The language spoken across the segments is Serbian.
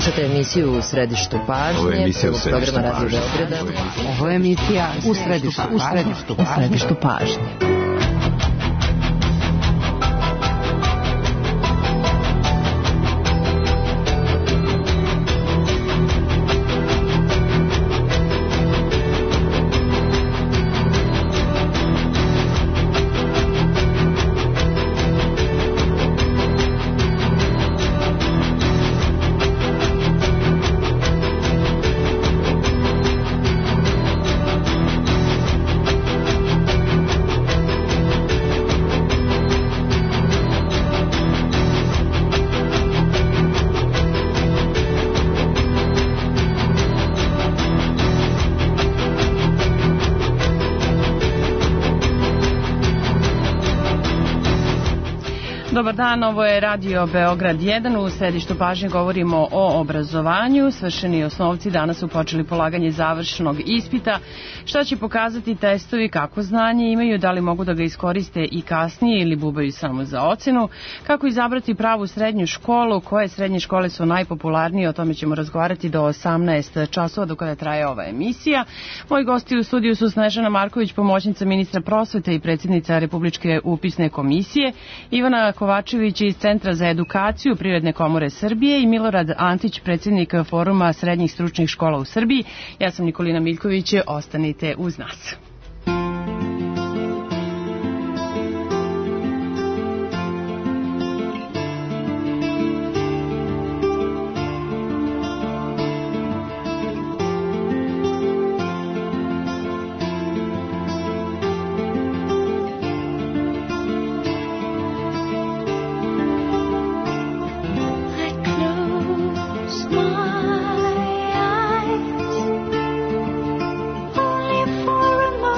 Slušate emisiju U središtu pažnje. Ovo je emisija U središtu pažnje. Ovo je emisija U središtu pažnje. Dobar dan, ovo je Radio Beograd 1. U središtu pažnje govorimo o obrazovanju. Svršeni osnovci danas su počeli polaganje završnog ispita. Šta će pokazati testovi, kako znanje imaju, da li mogu da ga iskoriste i kasnije ili bubaju samo za ocenu. Kako izabrati pravu srednju školu, koje srednje škole su najpopularnije, o tome ćemo razgovarati do 18 časova do kada traje ova emisija. Moji gosti u studiju su Snežana Marković, pomoćnica ministra prosvete i predsjednica Republičke upisne komisije, Ivana Kovačević iz Centra za edukaciju Privredne komore Srbije i Milorad Antić, predsjednik Foruma srednjih stručnih škola u Srbiji. Ja sam Nikolina Miljković, ostanite uz nas. For a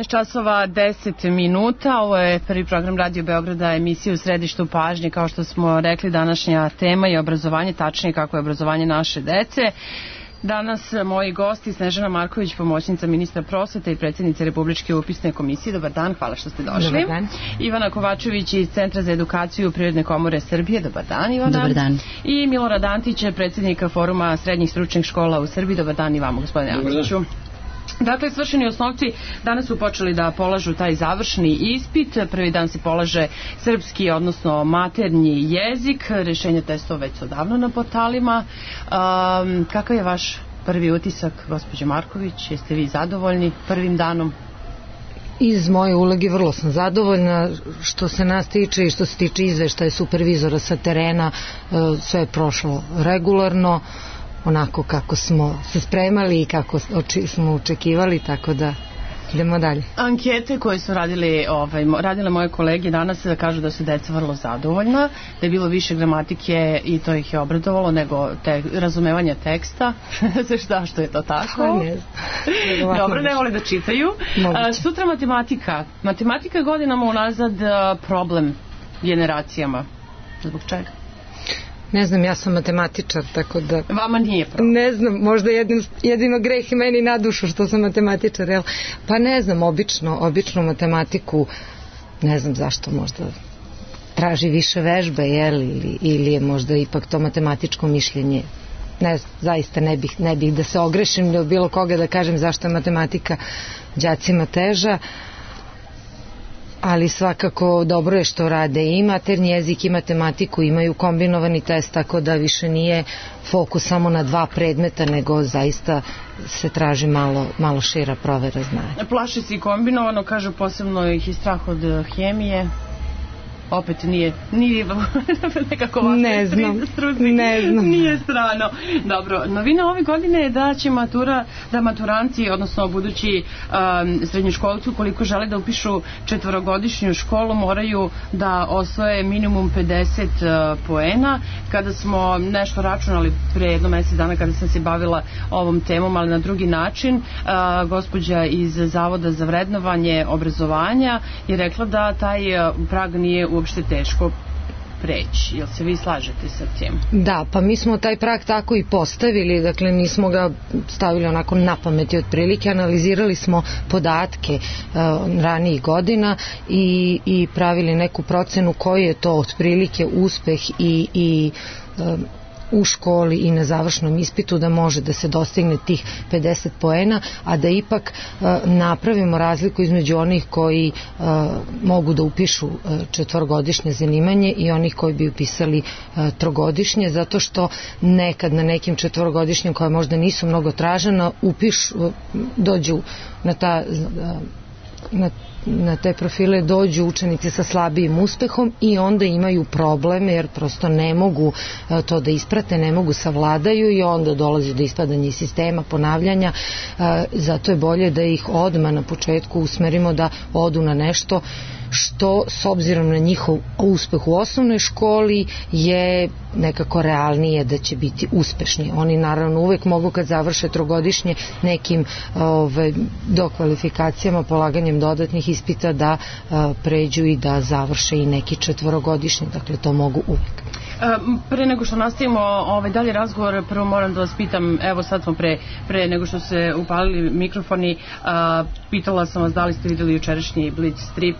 12 časova 10 minuta, ovo je prvi program Radio Beograda, emisija u središtu pažnje. Kao što smo rekli, današnja tema je obrazovanje, tačnije kako je obrazovanje naše dece. Danas moji gosti Snežana Marković, pomoćnica ministra prosvete i predsjednica Republičke upisne komisije. Dobar dan, hvala što ste došli. Dobar dan. Ivana Kovačević iz Centra za edukaciju Privredne komore Srbije. Dobar dan, Ivana. Dobar dan. I Milorad Antić, predsjednika Foruma srednjih stručnih škola u Srbiji. Dobar dan i vama, gospodine Antiću. Dakle, svršeni osnovci danas su počeli da polažu taj završni ispit. Prvi dan se polaže srpski, odnosno maternji jezik. Rješenje testova već su odavno na portalima. Kakav je vaš prvi utisak, gospođo Marković? Jeste vi zadovoljni prvim danom? Iz moje uloge vrlo sam zadovoljna. Što se nas tiče i što se tiče izveštaja supervizora sa terena, sve je prošlo regularno, onako kako smo se spremali i kako smo očekivali, tako da idemo dalje. Ankete koje su radile moje kolege danas kažu da su deca vrlo zadovoljna, da je bilo više gramatike i to ih je obradovalo nego razumevanja teksta. Što je to tako? Ne znam. Dobro, ne vole da čitaju. Sutra matematika. Matematika je godinama unazad problem generacijama. Zbog čega? Ne znam, ja sam matematičar, tako da... Vama nije problem? Ne znam, možda jedino greh i meni na dušu što sam matematičar, jel? Pa ne znam, obično matematiku, ne znam zašto, možda traži više vežbe, jel? Ili je možda ipak to matematičko mišljenje. Ne znam, zaista ne bih da se ogrešim ili od bilo koga da kažem zašto je matematika đacima teža, ali svakako dobro je što rade i maternji jezik i matematiku, imaju kombinovani test, tako da više nije fokus samo na 2 predmeta, nego zaista se traži malo šira provera znanja. Plaše se i kombinovano, kažu posebno ih i strah od hemije. Opet nije nekako vas ne znam. Nije strano. Dobro, novina ove godine je da će maturanti, odnosno budući srednjoškolci, ukoliko žele da upišu 4-godišnju školu, moraju da osvoje minimum 50 poena. Kada smo nešto računali pre jedno mesec dana, kada sam se bavila ovom temom, ali na drugi način, gospođa iz Zavoda za vrednovanje obrazovanja je rekla da taj prag nije uopšte teško preći. Jel se vi slažete sa tim? Da, pa mi smo taj prag tako i postavili, dakle nismo ga stavili onako na pameti otprilike, analizirali smo podatke ranijih godina i pravili neku procenu koji je to otprilike uspeh i u školi i na završnom ispitu da može da se dostigne tih 50 poena, a da ipak napravimo razliku između onih koji mogu da upišu 4-godišnje zanimanje i onih koji bi upisali 3-godišnje, zato što nekad na nekim 4-godišnjem koja možda nisu mnogo tražena dođu na te profile dođu učenici sa slabijim uspehom i onda imaju probleme jer prosto ne mogu to da isprate, ne mogu savladaju i onda dolazi do ispadanja iz sistema, ponavljanja. Zato je bolje da ih odmah na početku usmerimo da odu na nešto što s obzirom na njihov uspeh u osnovnoj školi je nekako realnije da će biti uspešni. Oni naravno uvek mogu kad završe 3-godišnje nekim dokvalifikacijama, polaganjem dodatnih ispita da pređu i da završe i neki 4-godišnji, dakle to mogu uvek. Pre nego što nastavimo dalje razgovor, prvo moram da vas pitam, evo sad smo pre nego što se upalili mikrofoni, pitala sam vas da li ste videli jučerašnji Blitz strip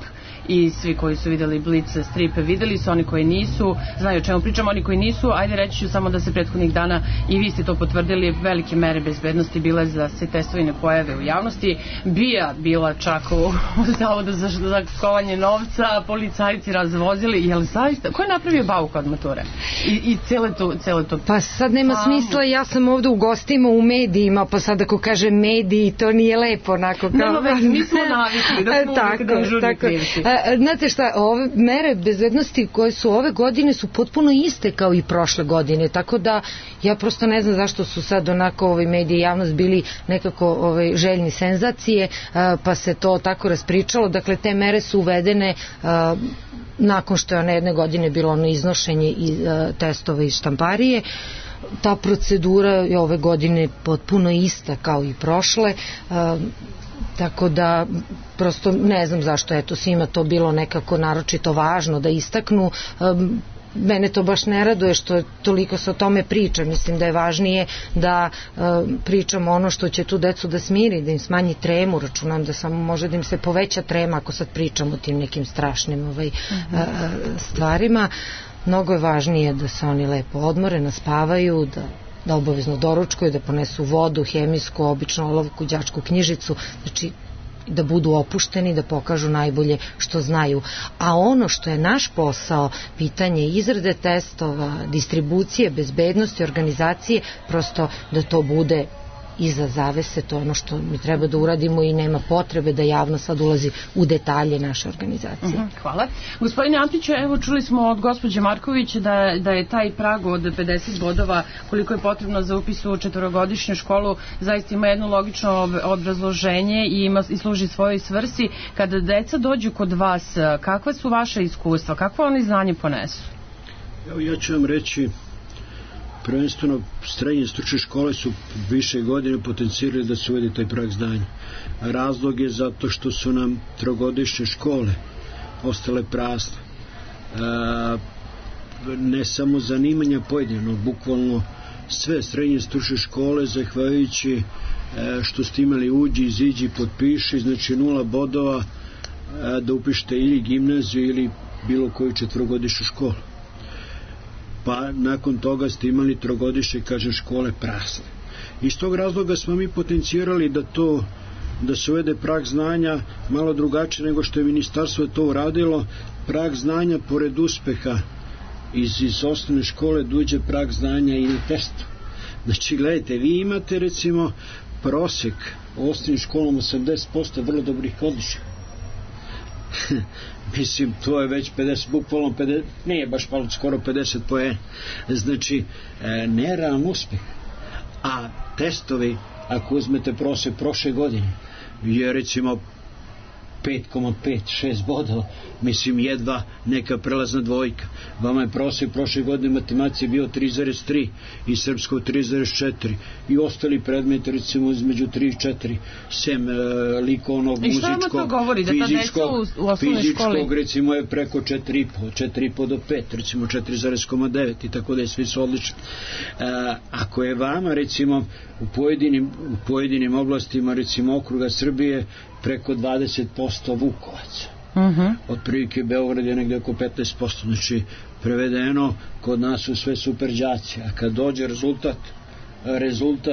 i svi koji su videli Blitz strip videli su, oni koji nisu znaju o čemu pričamo, oni koji nisu, ajde reći ću samo da se prethodnih dana i vi ste to potvrdili, velike mere bezbednosti bile da se testovi ne pojave u javnosti, bila čak u Zavodu za kovanje novca, policajci razvozili, jel zaista, ko je napravio bauk od mature? I cele to pa sad nema smisla, ja sam ovde u gostima u medijima, pa sad ako kažem mediji, to nije lepo onako kao... Nema već, mi smo navikli da smo uvijek dežurni krivci. Znate šta, ove mere bezbednosti koje su ove godine su potpuno iste kao i prošle godine, tako da ja prosto ne znam zašto su sad onako mediji i javnost bili nekako željni senzacije, pa se to tako raspričalo. Dakle, te mere su uvedene nakon što je one jedne godine bilo ono iznošenje testova iz štamparije. Ta procedura je ove godine potpuno ista kao i prošle. tako da prosto ne znam zašto je to svima to bilo nekako naročito važno da istaknu. Mene to baš ne raduje što toliko se o tome priča. Mislim da je važnije da pričamo ono što će tu decu da smiri, da im smanji tremu. Računam da samo može da im se poveća trema ako sad pričamo o tim nekim strašnim stvarima. Mnogo je važnije da se oni lepo odmore, naspavaju, da obavezno doručkuju, da ponesu vodu, hemijsku, obično olovku, đačku knjižicu, znači da budu opušteni, da pokažu najbolje što znaju. A ono što je naš posao, pitanje izrade testova, distribucije, bezbednosti, organizacije, prosto da to bude iza zavese, to je ono što mi treba da uradimo i nema potrebe da javno sad ulazi u detalje naše organizacije. Hvala. Gospodine Antiću, evo čuli smo od gospođe Marković da je taj prag od 50 bodova koliko je potrebno za upis u četvorogodišnju školu zaista ima jedno logično obrazloženje i služi svojoj svrsi. Kada deca dođu kod vas, kakva su vaše iskustva? Kakvo oni znanje ponesu? Evo ja ću vam reći, prvenstveno srednje stručne škole su više godine potencirali da se uvede taj prag znanja. Razlog je zato što su nam trogodišnje škole ostale prazne. Ne samo zanimanja pojedino, bukvalno sve srednje stručne škole, zahvaljujući što ste imali uđi, iziđi, potpiši, znači 0 bodova da upišete ili gimnaziju ili bilo koju četvorogodišnju školu. Pa nakon toga ste imali trogodišnje, kažem, škole prazne. Iz tog razloga smo mi potencirali da se uvede prag znanja malo drugačije nego što je ministarstvo to uradilo. Prag znanja pored uspeha iz osnovne škole dođe prag znanja i na testu. Znači, gledajte, vi imate recimo prosek u osnovnim školom 80% vrlo dobrih odličja. Mislim, to je već 50, bukvalno 50, nije baš malo, skoro 50 poena. Znači, nerealan uspeh. A testovi, ako uzmete prosek prošle godine, je recimo 5,5-6 bodova, mislim jedva neka prelazna dvojka. Vama je prosek prošle godine matematici bio 3,3 i srpsko 3,4 i ostali predmeti recimo između 3 i 4, sem likovnog, muzičkog, fizičkog recimo je preko 4,5 do 5, recimo 4,9 i tako da je, svi su odlični. Ako je vama recimo u pojedinim oblastima recimo okruga Srbije preko 20% Vukovaca. Otprilike Beograd je negde oko 15%. Znači, prevedeno, kod nas su sve super đaci. A kad dođe rezultat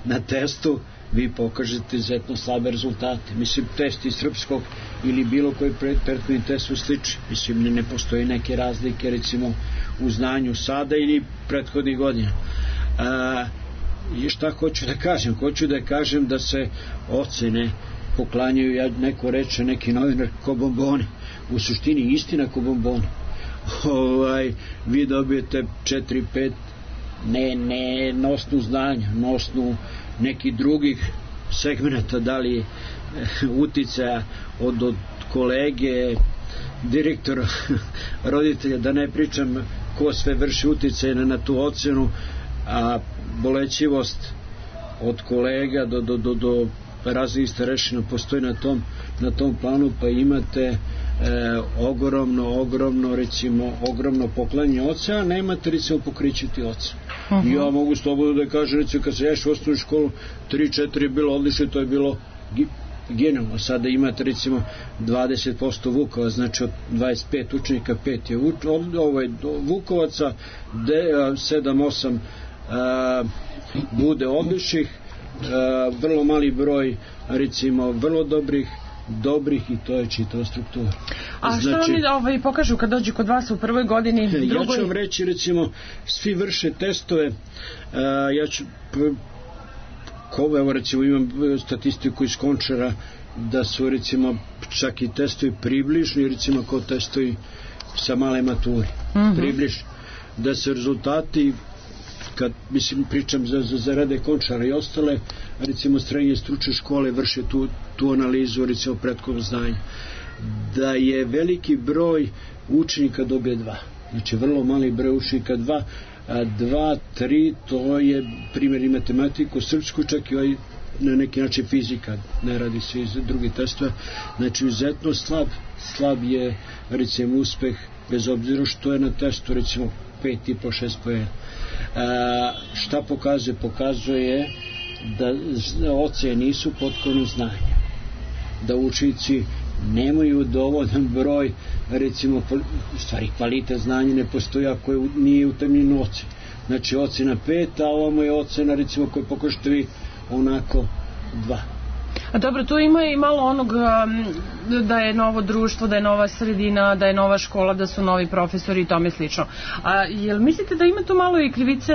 na testu, vi pokažete izuzetno slabe rezultate. Mislim, test iz srpskog ili bilo koji prethodni test su slični. Mislim, ne postoji neke razlike, recimo, u znanju sada ili prethodnih godina. I šta hoću da kažem? Hoću da kažem da se ocene poklanjaju, neko reče, neki novinar, ko bombone. U suštini istina ko bombone. Vi dobijete 4-5 ne na osnovu znanja, na osnovu nekih drugih segmenta, da li uticaja od kolege, direktora, roditelja, da ne pričam ko sve vrši uticaj na tu ocenu, a bolećivost od kolega do raznih starešina postoji na tom planu, pa imate ogromno poklanje oca, a nemate recimo pokrićiti oca. Ja mogu slobodno da kažem, recimo kad se ješ u osnovnu školu 3-4 je bilo odlično, to je bilo genijalno. Sada imate recimo 20% Vukova, znači od 25 učenika 5 je Vukovaca, 7-8 bude odličnih, vrlo mali broj recimo vrlo dobrih i to je čitava struktura. A što oni pokažu kad dođu kod vas u prvoj godini? Ja ću vam reći, recimo, svi vrše testove, ja ću evo recimo imam statistiku iz Končara da su recimo čak i testovi približni, recimo kao testovi sa male mature, približni, da se rezultati, kad mislim pričam za rade Končara i ostale, recimo srednje stručne škole vrše tu analizu recimo prethodnog znanja, da je veliki broj učenika dobije 2, znači vrlo mali broj učenika 2, 2, 3, to je primjer i matematiku, srpsku, čak i na neki način fizika, ne radi se iz drugih testova, znači izuzetno slab je recimo uspeh, bez obzira što je na testu recimo 5,5-6 poena. Šta pokazuje? Pokazuje da ocene nisu potpuno znanje, da učenici nemaju dovoljan broj, recimo, stvari kvalitet znanja ne postoji ako nije utemljeno ocen. Znači ocena 5, a ovamo je ocena recimo koju pokažete vi onako 2. A dobro, tu ima i malo onog da je novo društvo, da je nova sredina, da je nova škola, da su novi profesori i tome slično. A jel mislite da ima tu malo i krivice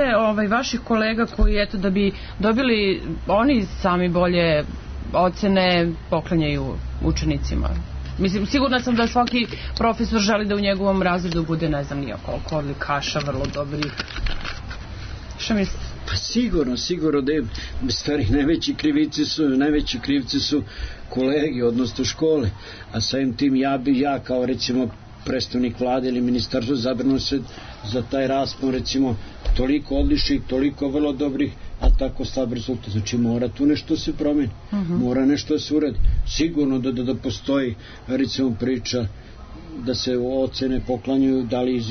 vaših kolega koji, eto, da bi dobili oni sami bolje ocene, poklanjaju učenicima? Mislim, sigurna sam da svaki profesor želi da u njegovom razredu bude, ne znam nija koliko odlikaša, vrlo dobrih. Šta mislite? Pa sigurno da je stvari najveći krivci su kolegi, odnosno škole, a samim tim ja kao recimo predstavnik vlade ili ministarstvo zabrano se za taj raspon recimo toliko odličnih, toliko vrlo dobrih, a tako slab rezultat. Znači mora tu nešto se promeni, mora nešto se uradi. Sigurno da postoji recimo priča da se ocene poklanjaju da li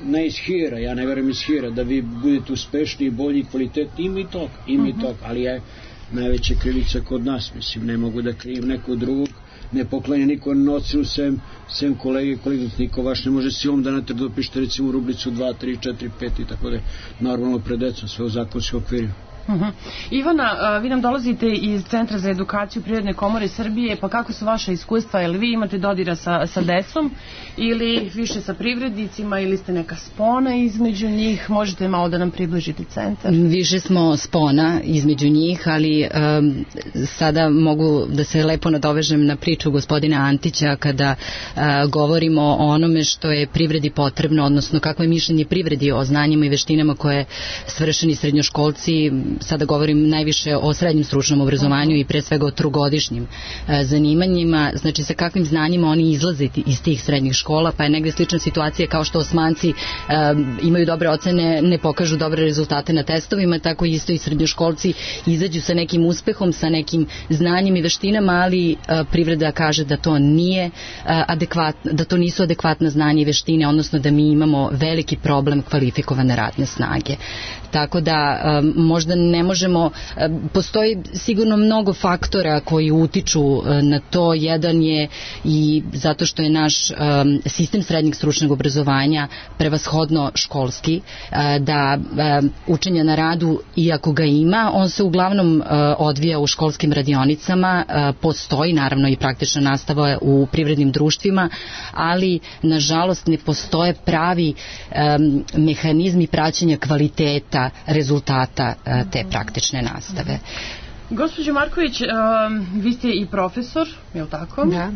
ne iz hira, ja ne verujem iz hira, da vi budete uspešni, bolji, kvalitetni, ima i tog, ali je najveća krivica kod nas, mislim, ne mogu da krivim nekog drugog, ne poklanja niko na ocenu sem kolege, niko vaš ne može silom da natrdo dopišete recimo rubricu 2, 3, 4, 5 i tako da normalno pred decom, sve u zakonskim okvirima. Ivana, vi nam dolazite iz Centra za edukaciju Privredne komore Srbije, pa kako su vaše iskustva? Jel vi imate dodira sa decom ili više sa privrednicima ili ste neka spona između njih? Možete malo da nam približite centar? Više smo spona između njih, ali sada mogu da se lepo nadovežem na priču gospodina Antića kada govorimo o onome što je privredi potrebno, odnosno kako je mišljenje privredi o znanjima i veštinama koje svršeni srednjoškolci, sada govorim najviše o srednjem stručnom obrazovanju i pre svega o trogodišnjim zanimanjima, znači sa kakvim znanjima oni izlaze iz tih srednjih škola, pa je negde slična situacija kao što Osmanci imaju dobre ocene, ne pokažu dobre rezultate na testovima, tako isto i srednjoškolci izađu sa nekim uspehom, sa nekim znanjem i veštinama, ali privreda kaže da to nije adekvatno, da to nisu adekvatna znanja i veštine, odnosno da mi imamo veliki problem kvalifikovane radne snage. Tako da možda ne možemo, postoji sigurno mnogo faktora koji utiču na to. Jedan je i zato što je naš sistem srednjeg stručnog obrazovanja prevashodno školski, da učenja na radu, iako ga ima, on se uglavnom odvija u školskim radionicama, postoji naravno i praktična nastava u privrednim društvima, ali nažalost ne postoje pravi mehanizmi praćenja kvaliteta rezultata te praktične nastave. Gospođo Marković, vi ste i profesor, je li tako? Da.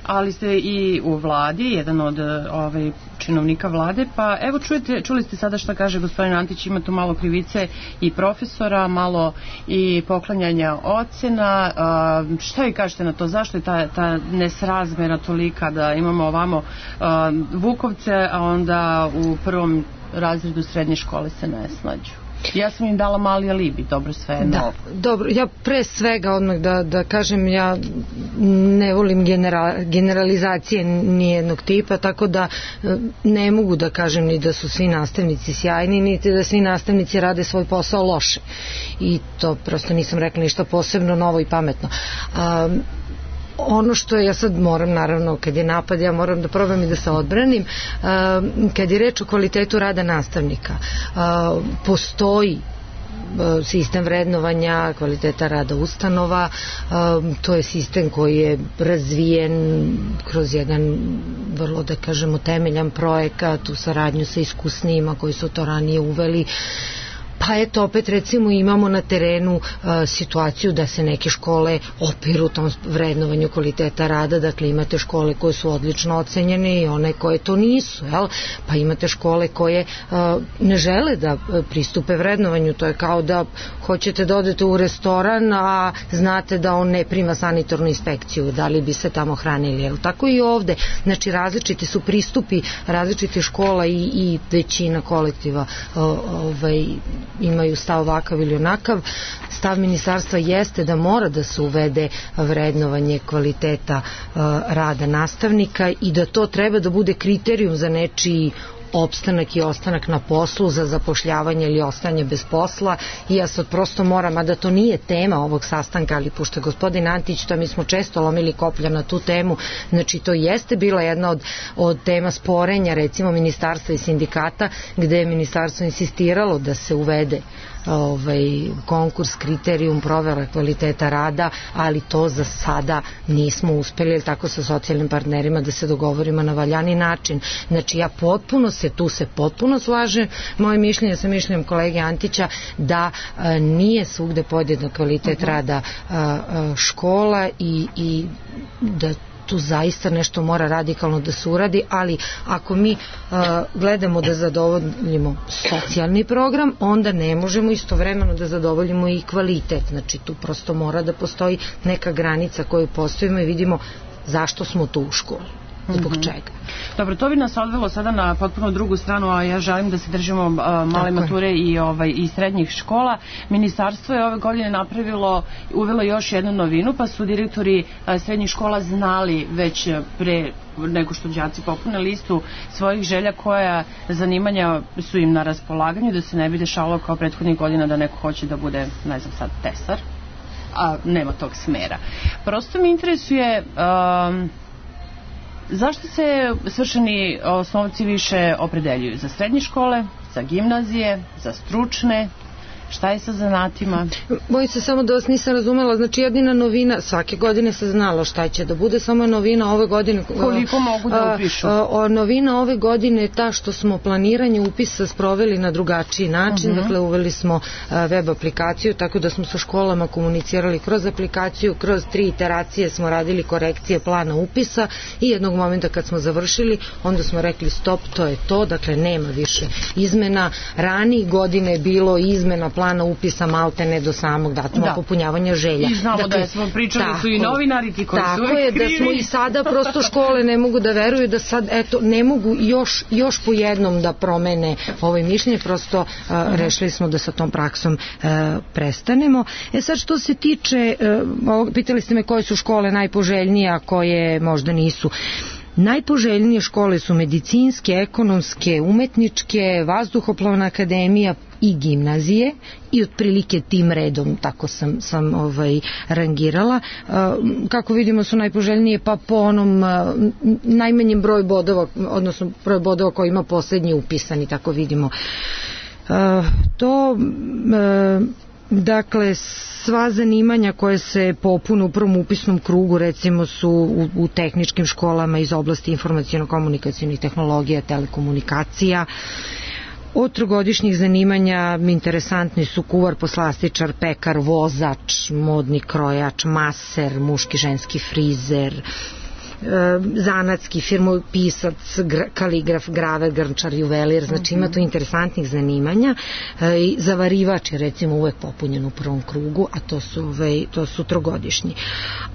Ali ste i u vladi, jedan od činovnika vlade, pa evo čuli ste sada šta kaže gospodin Antić, ima tu malo krivice i profesora, malo i poklanjanja ocena. Šta vi kažete na to? Zašto je ta nesrazmera tolika da imamo ovamo Vukovce, a onda u prvom razredu srednje škole se ne snađu? Ja sam im dala mali alibi, dobro, sve je novo. Dobro, ja pre svega odmah da kažem, ja ne volim generalizacije nijednog tipa, tako da ne mogu da kažem ni da su svi nastavnici sjajni, niti da svi nastavnici rade svoj posao loše. I to prosto nisam rekla ništa posebno novo i pametno. Ono što ja sad moram, naravno, kad je napad, ja moram da probam i da se odbranim. Kad je reč o kvalitetu rada nastavnika, postoji sistem vrednovanja kvaliteta rada ustanova, to je sistem koji je razvijen kroz jedan vrlo, da kažemo, temeljan projekat u saradnju sa iskusnijima koji su to ranije uveli. Pa eto, opet recimo imamo na terenu situaciju da se neke škole opiru tom vrednovanju kvaliteta rada, dakle imate škole koje su odlično ocenjene i one koje to nisu, jel? Pa imate škole koje ne žele da pristupe vrednovanju, to je kao da hoćete da odete u restoran, a znate da on ne prima sanitarnu inspekciju, da li bi se tamo hranili, jel? Tako i ovde, znači različiti su pristupi različitih škola i većina kolektiva imaju stav ovakav ili onakav. Stav ministarstva jeste da mora da se uvede vrednovanje kvaliteta rada nastavnika i da to treba da bude kriterijum za nečiji opstanak i ostanak na poslu, za zapošljavanje ili ostajanje bez posla. I ja sad prosto moram, a da to nije tema ovog sastanka, ali pošto je gospodin Antić, to mi smo često lomili koplja na tu temu, znači to jeste bila jedna od tema sporenja recimo ministarstva i sindikata, gde je ministarstvo insistiralo da se uvede konkurs, kriterijum, provera kvaliteta rada, ali to za sada nismo uspeli, tako sa socijalnim partnerima, da se dogovorimo na valjani način. Znači ja tu se potpuno slažem, moje mišljenje sa mišljenjem kolege Antića da nije svugde podjednak kvalitet rada škola i da tu zaista nešto mora radikalno da se uradi, ali ako mi gledamo da zadovoljimo socijalni program, onda ne možemo istovremeno da zadovoljimo i kvalitet. Znači tu prosto mora da postoji neka granica koju postavimo i vidimo zašto smo tu u školi. Zbog čega? Dobro, to bi nas odvelo sada na potpuno drugu stranu, a ja želim da se držimo male mature i srednjih škola. Ministarstvo je ove godine uvelo još jednu novinu, pa su direktori srednjih škola znali već pre nego što đaci popune listu svojih želja koja zanimanja su im na raspolaganju, da se ne bi dešavalo kao prethodnih godina da neko hoće da bude, ne znam sad, tesar, a nema tog smera. Prosto mi interesuje zašto se svršeni osnovci više opredeljuju? Za srednje škole, za gimnazije, za stručne? Šta je sa zanatima? Bojim se samo da vas nisam razumela, znači jedina novina, svake godine se znalo šta će da bude, samo je novina ove godine. Koliko mogu da upišu? Novina ove godine je ta što smo planiranje upisa sproveli na drugačiji način, dakle uveli smo web aplikaciju, tako da smo sa školama komunicirali kroz aplikaciju, kroz 3 iteracije smo radili korekcije plana upisa i jednog momenta kad smo završili, onda smo rekli stop, to je to, dakle nema više izmena. Ranije godine je bilo izmena plana upisa maltene do samog datuma popunjavanja želja. I znamo da smo pričali su i novinari ti koji su uvek krivi. Da smo i sada prosto škole ne mogu da veruju da sad ne mogu još po jednom da promene mišljenje, prosto rešili smo da sa tom praksom prestanemo. Sad što se tiče, pitali ste me koje su škole najpoželjnije, a koje možda nisu. Najpoželjnije škole su medicinske, ekonomske, umetničke, vazduhoplovna akademija i gimnazije i otprilike tim redom tako sam rangirala. Kako vidimo su najpoželjnije pa po onom najmanjem broju bodova, odnosno broj bodova koji ima poslednji upisani, tako vidimo. Dakle, sva zanimanja koje se popune u prvom upisnom krugu recimo su u tehničkim školama iz oblasti informaciono-komunikacijnih tehnologija, telekomunikacija. Od trogodišnjih zanimanja interesantni su kuvar, poslastičar, pekar, vozač, modni krojač, maser, muški, ženski frizer, zanatski, firmopisac, kaligraf, graver, grnčar, juvelir, znači ima tu interesantnih zanimanja. Zavarivač je recimo uvek popunjen u prvom krugu, a to su trogodišnji.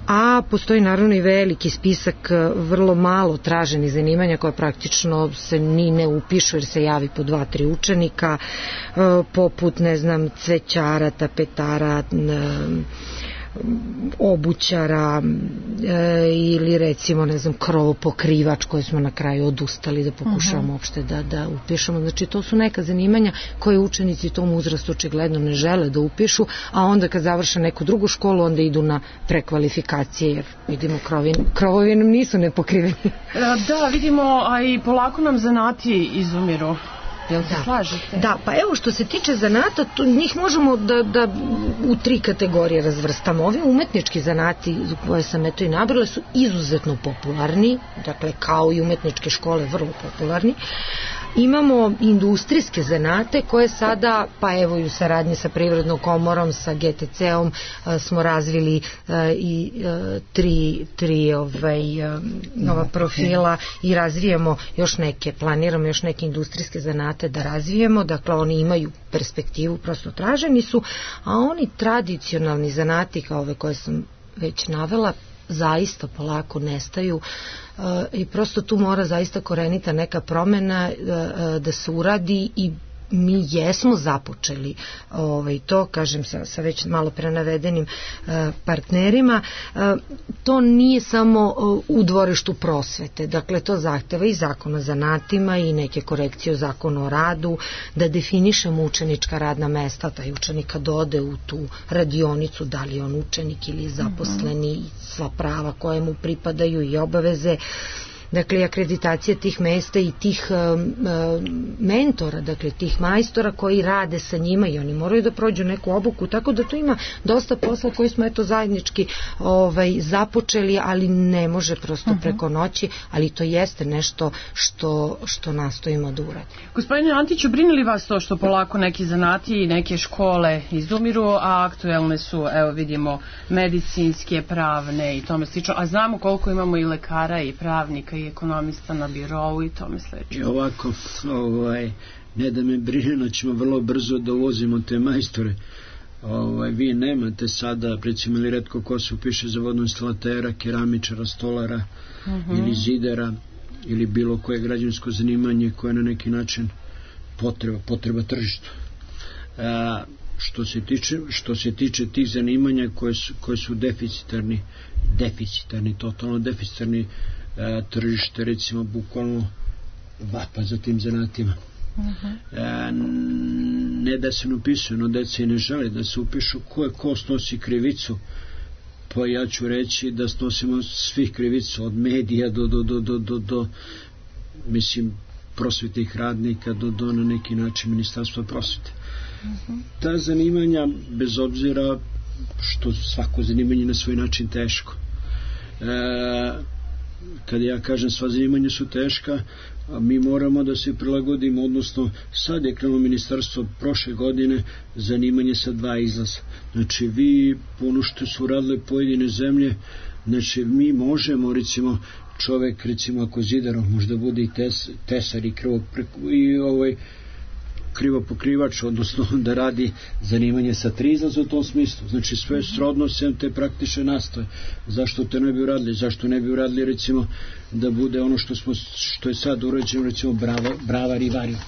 A postoji naravno i veliki spisak vrlo malo traženih zanimanja koje praktično se ni ne upišu jer se javi po 2-3 učenika, poput, ne znam, cvećara, tapetara, obućara ili recimo, ne znam, krovopokrivač koje smo na kraju odustali da pokušavamo uopšte da upišemo. Znači to su neka zanimanja koje učenici u tom uzrastu očigledno ne žele da upišu, a onda kad završe neku drugu školu onda idu na prekvalifikacije jer vidimo krovovi nam nisu nepokriveni. Da, vidimo, a i polako nam zanati izumiru. Jel se slažete? Da, pa evo što se tiče zanata, njih možemo da u 3 kategorije razvrstamo. Ovi umetnički zanati koje sam i nabrala su izuzetno popularni, dakle kao i umetničke škole vrlo popularni. Imamo industrijske zanate koje sada, pa evo i u saradnji sa Privrednom komorom, sa GTC-om smo razvili i tri nova profila i razvijamo još neke, planiramo još neke industrijske zanate da razvijemo, dakle oni imaju perspektivu, prosto traženi su, a oni tradicionalni zanati kao ove koje sam već navela zaista polako nestaju i prosto tu mora zaista korenita neka promena da se uradi i mi jesmo započeli to, kažem, sa već malo prenavedenim partnerima. To nije samo u dvorištu prosvete, dakle to zahteva i zakon o zanatima i neke korekcije o zakonu o radu, da definišemo učenička radna mesta, taj učenik kad ode u tu radionicu, da li je on učenik ili zaposleni, sva prava koje mu pripadaju i obaveze. Dakle, akreditacija tih mesta i tih mentora, dakle tih majstora koji rade sa njima i oni moraju da prođu neku obuku, tako da tu ima dosta posla koji smo zajednički započeli, ali ne može prosto preko noći, ali to jeste nešto što nastojimo da uradimo. Gospodine Antiću, brine li vas to što polako neki zanati i neke škole izumiru, a aktuelne su, evo vidimo, medicinske, pravne i tome slično, a znamo koliko imamo i lekara i pravnika i ekonomista na birovu i tome sledeće. I ovako, ne da me brine, ćemo vrlo brzo da uvozimo te majstore. Vi nemate sada, recimo, ili retko ko se upiše za vodoinstalatera, keramičara, stolara ili zidara ili bilo koje građevinsko zanimanje koje je na neki način potreba tržišta. Što se tiče tih zanimanja koje su totalno deficitarni, tržište, recimo, bukvalno vapa za tim zanatima. Ne da se ne upisuju, no deca i ne žele da se upišu. Ko snosi krivicu? Pa ja ću reći da snosimo svih krivicu, od medija do mislim, prosvetnih radnika do na neki način Ministarstva prosvete. Ta zanimanja, bez obzira što svako zanimanje na svoj način teško, kada ja kažem sva zanimanja su teška, mi moramo da se prilagodimo, odnosno sad je krenulo ministarstvo prošle godine zanimanje sa 2 izlaza. Znači vi, ono što su radile pojedine zemlje, znači mi možemo, recimo, čovek, recimo, ako zidarom možda bude i tesar i krivopokrivač, odnosno da radi zanimanje sa 3 izlaza u tom smislu. Znači sve srodno sem te praktične nastave. Zašto to ne bi uradili? Zašto ne bi uradili, recimo, da bude ono što je sad urađeno, recimo bravar i varioc.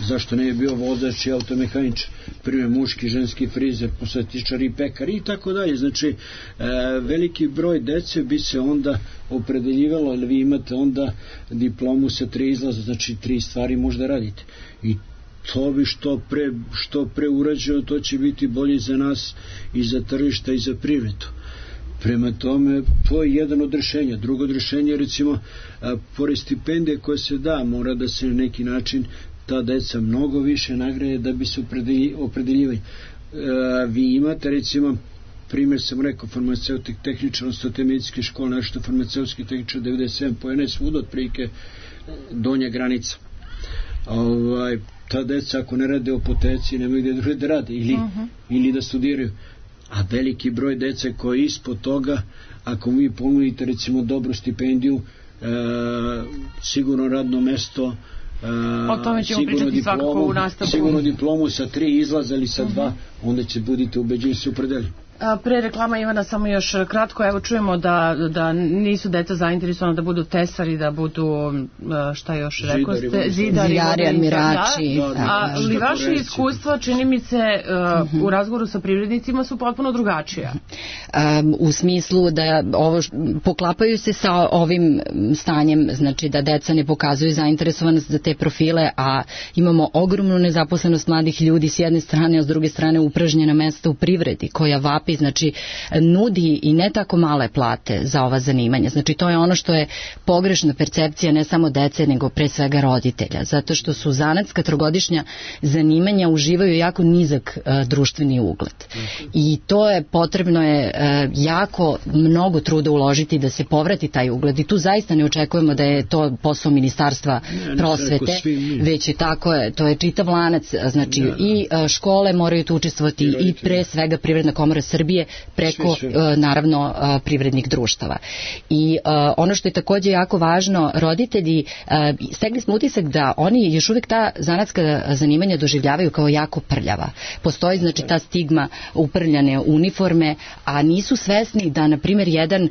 Zašto ne bi bio vozač i automehaničar, primjer muški, ženski frizer, posetičar i pekar i tako dalje. Znači veliki broj dece bi se onda opredeljivalo, ali vi imate onda diplomu sa 3 izlaza, znači 3 stvari možda radite. I to bi što pre urađeno, to će biti bolje za nas i za tržišta i za privredu. Prema tome, to je jedan od rešenja. Drugo od rešenja, recimo, pored stipendije koje se da, mora da se na neki način ta deca mnogo više nagrade da bi se opredeljivali. Vi imate, recimo, primjer sam rekao, farmaceutik tehničar, odnosno te medicinske škole, nešto farmaceutski tehničar 97 pojene svuda, otprilike donja granica. Ta deca ako ne rade u apoteci nemaju gde druge da rade ili da studiraju, a veliki broj dece koji je ispod toga, ako mi ponudite, recimo, dobru stipendiju, sigurno radno mesto, o tome ćemo pričati svakako u nastavku, sigurno diplomu sa 3 izlaza ili sa 2, onda će budite ubeđeni se upredeli. Pre reklama, Ivana, samo još kratko, evo čujemo da nisu deca zainteresovana da budu tesari, da budu, šta još rekao ste, zidari, admirači. Ali vaše iskustva, čini mi se, u razgovoru sa privrednicima su potpuno drugačija. U smislu da poklapaju se sa ovim stanjem, znači da deca ne pokazuju zainteresovanost za te profile, a imamo ogromnu nezaposlenost mladih ljudi s jedne strane, a s druge strane upražnjena mesta u privredi koja vapi, znači nudi i ne tako male plate za ova zanimanja. Znači to je ono što je pogrešna percepcija ne samo dece, nego pre svega roditelja, zato što su zanatska trogodišnja zanimanja uživaju jako nizak društveni ugled. I to je potrebno jako mnogo truda uložiti da se povrati taj ugled i tu zaista ne očekujemo da je to posao Ministarstva prosvete, već je tako, to je čitav lanac, znači i škole moraju tu učestvovati i pre svega Privredna komora Srbije Srbije preko naravno privrednih društava. I ono što je takođe jako važno, roditelji, stekli smo utisak da oni još uvek ta zanatska zanimanja doživljavaju kao jako prljava. Postoji znači ta stigma uprljane uniforme, a nisu svesni da na primjer jedan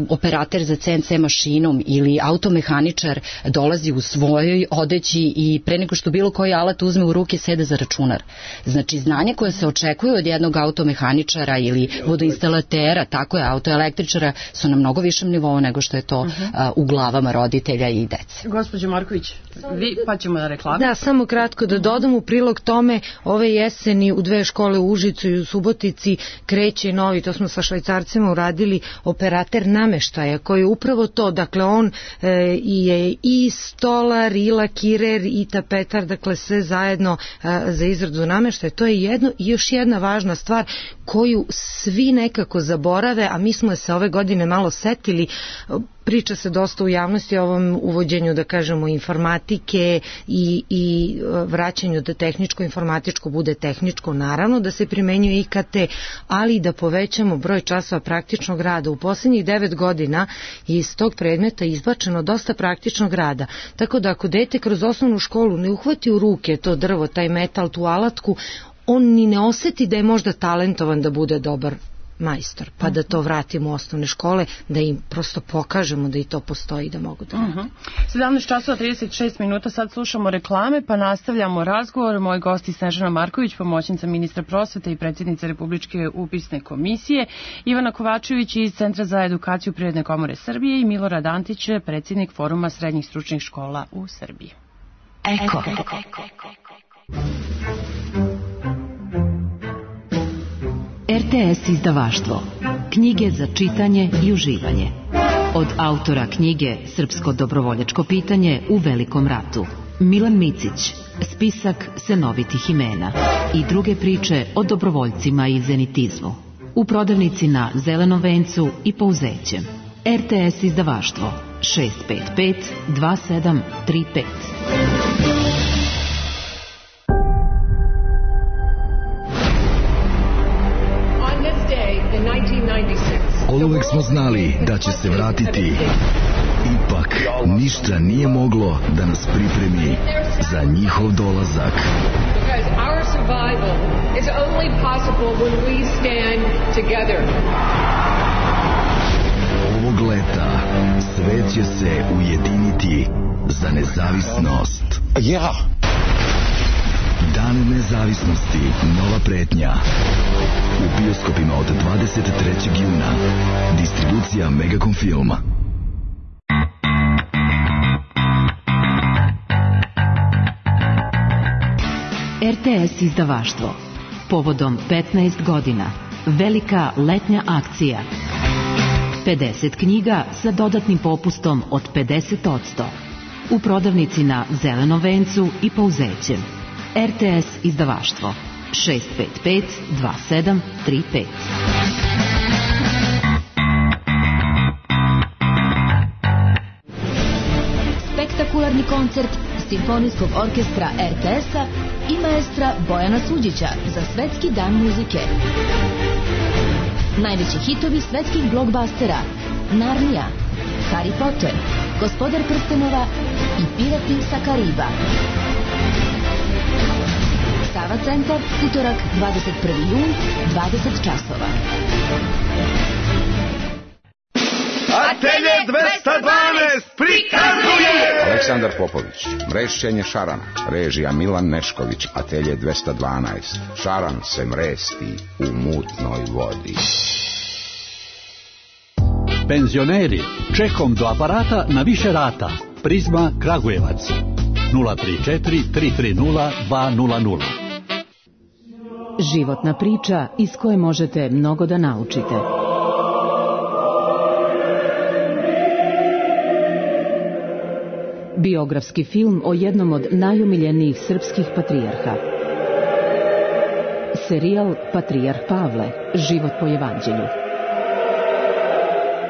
operater za CNC mašinom ili automehaničar dolazi u svojoj odeći i pre nego što bilo koji alat uzme u ruke sede za računar. Znači znanje koje se očekuje od jednog automehaničara ili vodoinstalatera, tako je, autoelektričara, su na mnogo višem nivou nego što je to u glavama roditelja i dece. Gospođo Marković, vi pa ćemo da reklame. Da, samo kratko da dodam u prilog tome, ove jeseni u 2 škole u Užicu i u Subotici kreće novi, to smo sa Švajcarcima uradili, operater nameštaja, koji je upravo to, dakle on je i stolar, i lakirer, i tapetar, dakle sve zajedno za izradu nameštaja. To je jedno i još jedna važna stvar koju svi nekako zaborave, a mi smo se ove godine malo setili. Priča se dosta u javnosti o ovom uvođenju, da kažemo, informatike i vraćanju da tehničko-informatičko bude tehničko, naravno da se primenjuje IKT, ali i da povećamo broj časova praktičnog rada. U poslednjih 9 godina je iz tog predmeta izbačeno dosta praktičnog rada, tako da ako dete kroz osnovnu školu ne uhvati u ruke to drvo, taj metal, tu alatku, on ni ne oseti da je možda talentovan da bude dobar majstor, pa da to vratimo u osnovne škole, da im prosto pokažemo da i to postoji, da mogu da rade. 17 časova 36 minuta, sad slušamo reklame, pa nastavljamo razgovor. Moji gosti Snežana Marković, pomoćnica ministra prosvete i predsjednica Republičke upisne komisije, Ivana Kovačević iz Centra za edukaciju Privredne komore Srbije i Milorad Antić, predsjednik Foruma srednjih stručnih škola u Srbiji. Eko. RTS izdavaštvo. Knjige za čitanje i uživanje. Od autora knjige Srpsko dobrovoljačko pitanje u Velikom ratu, Milan Micić, spisak senovitih imena i druge priče o dobrovoljcima i zenitizmu. U prodavnici na Zelenom vencu i Pouzećem. RTS izdavaštvo 655 2735. Oduvek smo znali da će se vratiti. Ipak, ništa nije moglo da nas pripremi za njihov dolazak. Ovog leta svet će se ujediniti za nezavisnost. Dan nezavisnosti, nova pretnja. U bioskopima od 23. juna. Distribucija Megacom Filma. RTS izdavaštvo. Povodom 15 godina. Velika letnja akcija. 50 knjiga sa dodatnim popustom od 50%. U prodavnici na Zelenom vencu i Pouzećem. RTS izdavaštvo 655 2735. Spektakularni koncert Simfonijskog orkestra RTS-a i maestra Bojana Suđića za Svetski dan muzike. Najveći hitovi svetskih blockbustera: Narnija, Harry Potter, Gospodar prstenova i Pirati sa Kariba. Sava centar, utorak 21. jun, 20 časova. Atelje 212 prikazuje Aleksandar Popović, mrešćenje šarana, režija Milan Nešković. Atelje 212, šaran se mresti u mutnoj vodi. Penzioneri, čekom do aparata na više rata. Prizma Kragujevac 034 330 200. Životna priča iz koje možete mnogo da naučite. Biografski film o jednom od najomiljenijih srpskih patrijarha. Serijal Patrijarh Pavle, život po evanđelju.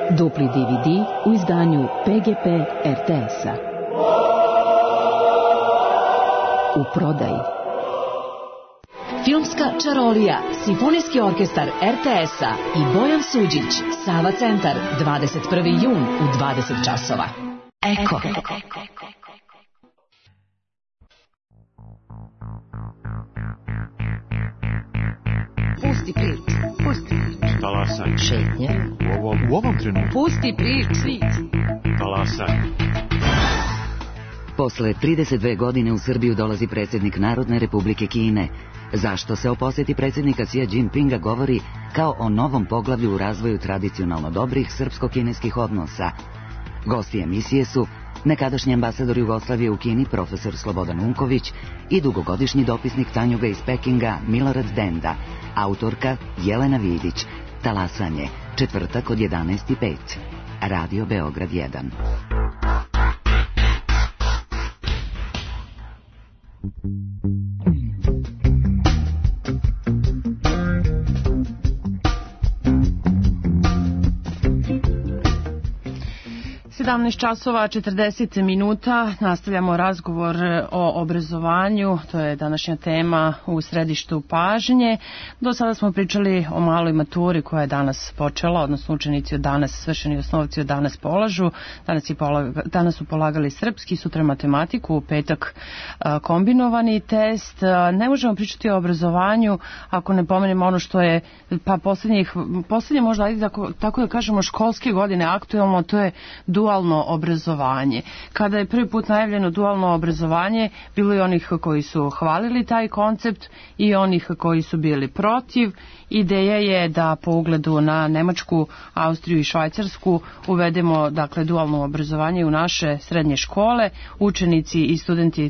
Dupli DVD u izdanju PGP RTS-a. U prodaji. Filmska čarolija, Simfonijski orkestar RTS-a i Bojan Suđić, Sava centar, 21. jun u 20 časova. Eko. Pusti priču. Talasaj. Šetnje. U ovom trenutku. Pusti priču. Talasaj. Posle 32 godine u Srbiju dolazi predsjednik Narodne republike Kine. Zašto se o posjeti predsjednika Xi Jinpinga govori kao o novom poglavlju u razvoju tradicionalno dobrih srpsko-kineskih odnosa? Gosti emisije su nekadašnji ambasador Jugoslavije u Kini profesor Slobodan Unković i dugogodišnji dopisnik Tanjuga iz Pekinga Milorad Denda, autorka Jelena Vidić. Talasanje, četvrtak od 11:05. Radio Beograd 1. 17 časova 40 minuta, nastavljamo razgovor o obrazovanju, to je današnja tema u središtu pažnje. Do sada smo pričali o maloj maturi koja je danas počela, odnosno učenici od danas, svršeni osnovci od danas polažu. Danas su polagali srpski, sutra matematiku, u petak kombinovani test. Ne možemo pričati o obrazovanju ako ne pomenemo ono što je pa poslednje možda, ajde tako da kažemo, školske godine aktuelno, to je dualno obrazovanje. Kada je prvi put najavljeno dualno obrazovanje, bilo je onih koji su hvalili taj koncept i onih koji su bili protiv. Ideja je da po ugledu na Nemačku, Austriju i Švajcarsku uvedemo dakle dualno obrazovanje u naše srednje škole. Učenici i studenti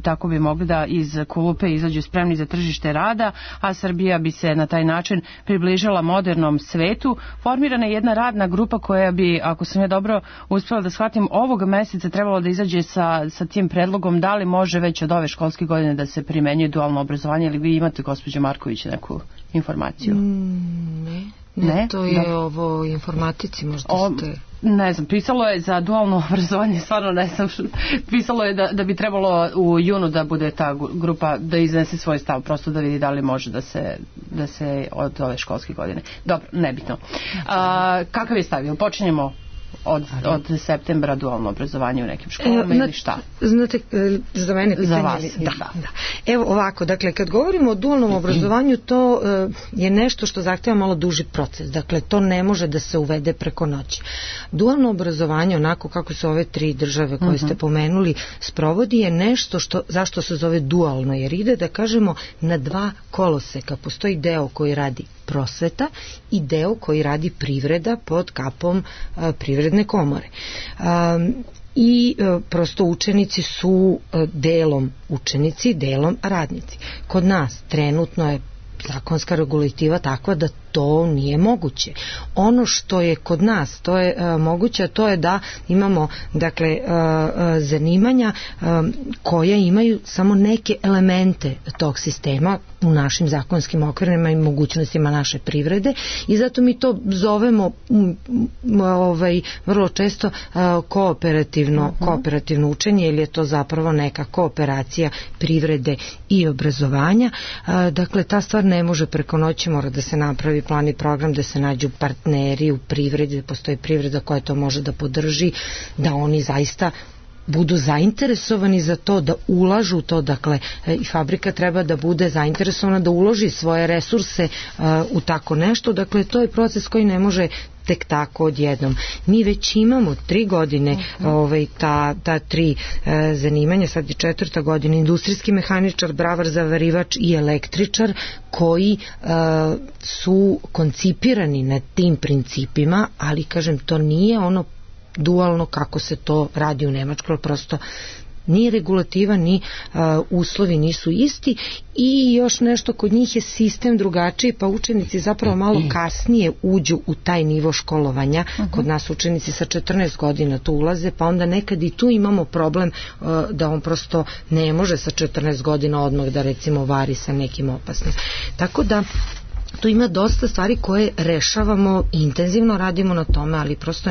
tako bi mogli da iz kulupe izađu spremni za tržište rada, a Srbija bi se na taj način približila modernom svetu. Formirana je jedna radna grupa koja bi, ako sam ja dobro uspela da shvatim, ovog meseca trebalo da izađe sa tim predlogom da li može već od ove školske godine da se primenjuje dualno obrazovanje, ili vi imate, gospođo Marković, neku informaciju? Ne, to je ovo informatici možda ste... Ne znam, pisalo je za dualno obrazovanje, stvarno ne znam, pisalo je da bi trebalo u junu da bude ta grupa da iznese svoj stav, prosto da vidi da li može da se od ove školske godine. Dobro, nebitno. Kakav je stav? Počinjemo od septembra dualno obrazovanje u nekim školama ili šta? Znate, za mene pitanje... Za vas, da. Evo ovako, dakle, kad govorimo o dualnom obrazovanju, to je nešto što zahteva malo duži proces. Dakle, to ne može da se uvede preko noći. Dualno obrazovanje, onako kako se ove 3 države koje ste pomenuli sprovodi, je nešto zašto se zove dualno, jer ide, da kažemo, na 2 koloseka. Postoji deo koji radi prosveta i deo koji radi privreda pod kapom privredne komore. I prosto učenici su delom učenici, delom radnici. Kod nas trenutno je zakonska regulativa takva da to nije moguće. Ono što je kod nas, to je moguće, to je da imamo, dakle, zanimanja koja imaju samo neke elemente tog sistema u našim zakonskim okvirima i mogućnostima naše privrede, i zato mi to zovemo vrlo često kooperativno učenje, ili je to zapravo neka kooperacija privrede i obrazovanja. Dakle, ta stvar ne može preko noći, mora da se napravi plan i program, da se nađu partneri u privredi, da postoji privreda koja to može da podrži, da oni zaista budu zainteresovani za to, da ulažu to, dakle, i fabrika treba da bude zainteresovana da uloži svoje resurse u tako nešto. Dakle, to je proces koji ne može tek tako odjednom. Mi već imamo 3 godine ta 3 zanimanja, sad je 4. godina, industrijski mehaničar, bravar, zavarivač i električar, koji su koncipirani na tim principima, ali, kažem, to nije ono dualno kako se to radi u Nemačkoj, prosto ni regulativa, ni uslovi nisu isti, i još nešto, kod njih je sistem drugačiji, pa učenici zapravo malo kasnije uđu u taj nivo školovanja. Kod nas učenici sa 14 godina tu ulaze, pa onda nekad i tu imamo problem da on prosto ne može sa 14 godina odmah da, recimo, vari sa nekim opasnim. Tako da tu ima dosta stvari koje rešavamo, intenzivno radimo na tome, ali prosto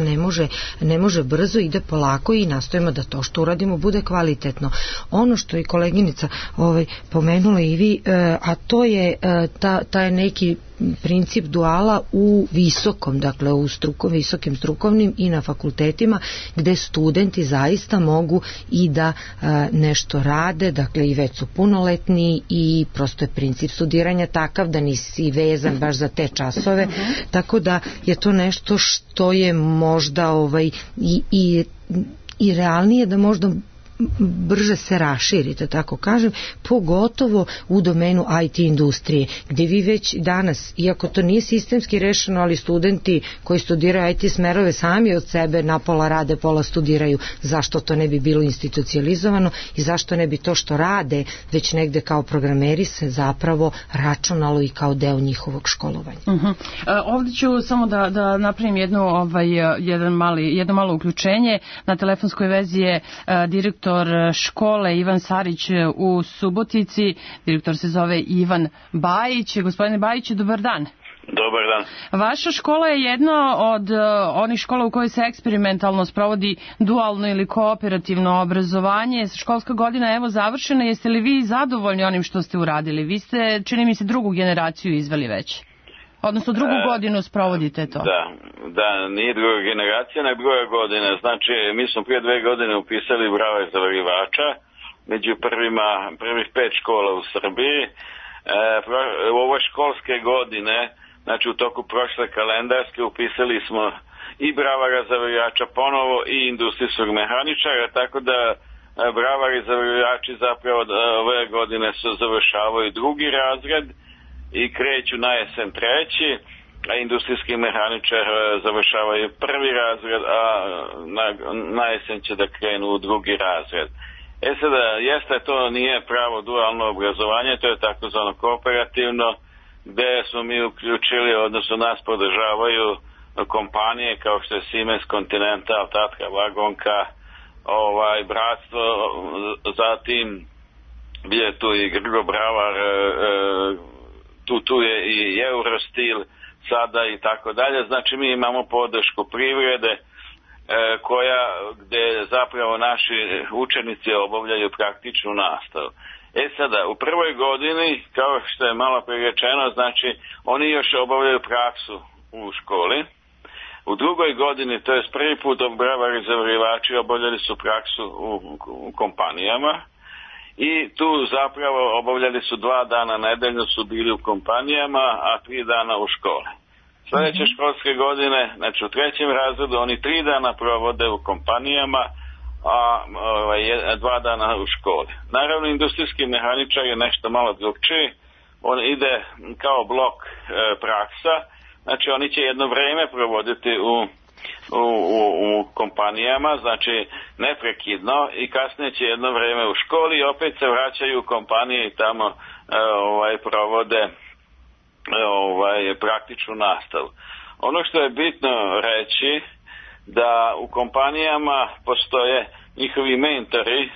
ne može brzo, ide polako i nastojimo da to što uradimo bude kvalitetno. Ono što je koleginica pomenula i vi, a to je taj neki princip duala u visokom, dakle u visokim strukovnim i na fakultetima, gde studenti zaista mogu i da nešto rade, dakle i već su punoletni i prosto je princip studiranja takav da nisi vezan baš za te časove, tako da je to nešto što je možda i realnije da možda brže se raširite, tako kažem, pogotovo u domenu IT industrije, gdje vi već danas, iako to nije sistemski rešeno, ali studenti koji studiraju IT smerove sami od sebe na pola rade, pola studiraju, zašto to ne bi bilo institucionalizovano i zašto ne bi to što rade već negde kao programeri se zapravo računalo i kao deo njihovog školovanja. Ovdje ću samo da napravim jedno malo uključenje. Na telefonskoj vezi je direktor škole Ivan Sarić u Subotici. Direktor se zove Ivan Bajić. Gospodine Bajiću, dobar dan. Dobar dan. Vaša škola je jedna od onih škola u kojoj se eksperimentalno sprovodi dualno ili kooperativno obrazovanje. Školska godina evo završena. Jeste li vi zadovoljni onim što ste uradili? Vi ste, čini mi se, drugu generaciju izveli već. Odnosno drugu godinu sprovodite to. Da, nije druga generacija, nego druga godina. Znači, mi smo prije 2 godine upisali brave zavarivača među prvih 5 škola u Srbiji. U ovoj školske godine, znači u toku prošle kalendarske, upisali smo i bravara zavarivača ponovo i industrijskog mehaničara, tako da bravari zavarivači zapravo ove godine se završavaju drugi razred i kreću na jesen 3, a industrijski mehaničar završavaju 1. razred, a na jesen će da krenu u 2. razred. Sada, jeste to nije pravo dualno obrazovanje, to je takozvano kooperativno, gde smo mi uključili, odnosno nas podržavaju kompanije kao što je Siemens, Continental, Tatra, Vagonka, Bratstvo, zatim je tu i Grgo Bravar, tu je i Eurostil sada i tako dalje. Znači mi imamo podršku privrede gde zapravo naši učenici obavljaju praktičnu nastavu. Sada, u prvoj godini, kao što je malo prerečeno, znači oni još obavljaju praksu u školi. U drugoj godini, to je prvi put bravari zavarivači obavljali su praksu u kompanijama. I tu zapravo obavljali su 2 dana nedeljno su bili u kompanijama, a 3 dana u školi. Sljedeće školske godine, znači u 3. razredu, oni 3 dana provode u kompanijama, a 2 dana u školi. Naravno, industrijski mehaničar je nešto malo drugčiji. On ide kao blok praksa, znači oni će jedno vreme provoditi u kompanijama, znači neprekidno, i kasnije će jedno vreme u školi i opet se vraćaju u kompanije i tamo provode praktičnu nastavu. Ono što je bitno reći, da u kompanijama postoje njihovi mentori,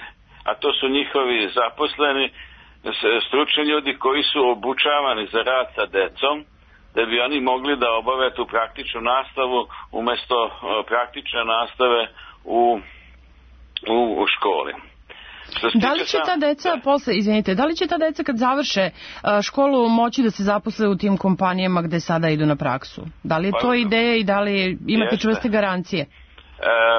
a to su njihovi zaposleni stručni ljudi koji su obučavani za rad sa decom, da bi oni mogli da obave tu praktičnu nastavu umjesto praktične nastave u školi. Da li će ta deca da li će ta deca kad završe školu moći da se zaposle u tim kompanijama gde sada idu na praksu? Da li je to ideja i da li imate čvrste garancije?